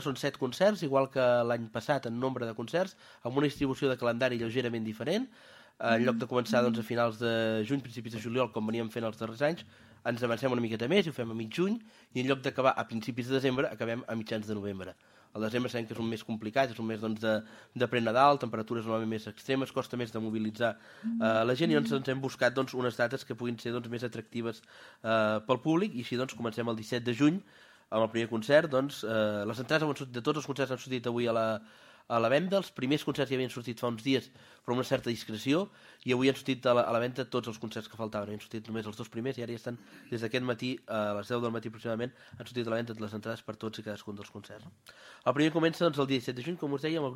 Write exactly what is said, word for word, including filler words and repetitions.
Són set concerts, igual que l'any passat en nombre de concerts, amb una distribució de calendari lleugerament diferent. En lloc de començar doncs, a finals de juny, principis de juliol, com veníem fent els darrers anys, ens avancem una miqueta més i ho fem a mig juny, i en lloc d'acabar a principis de desembre, acabem a mitjans de novembre. El desembre sabem que és un mes complicat, és un mes doncs, de, de pre-Nadal, temperatures normalment més extremes, costa més de mobilitzar eh, la gent, i doncs, ens hem buscat doncs, unes dates que puguin ser doncs, més atractives eh, pel públic, i així doncs, comencem el disset de juny amb el primer concert. Doncs, eh, les entrades han sortit, de tots els concerts han sortit avui a la, a la venda. Els primers concerts ja havien sortit fa uns dies, però amb una certa discreció, i avui han sortit a la, a la venda tots els concerts que faltaven. Han sortit només els dos primers, i ara ja estan, des d'aquest matí, a les deu del matí aproximadament, han sortit a la venda les entrades per tots i cadascun dels concerts. El primer comença doncs, el dia disset de juny, com us deia, amb el grup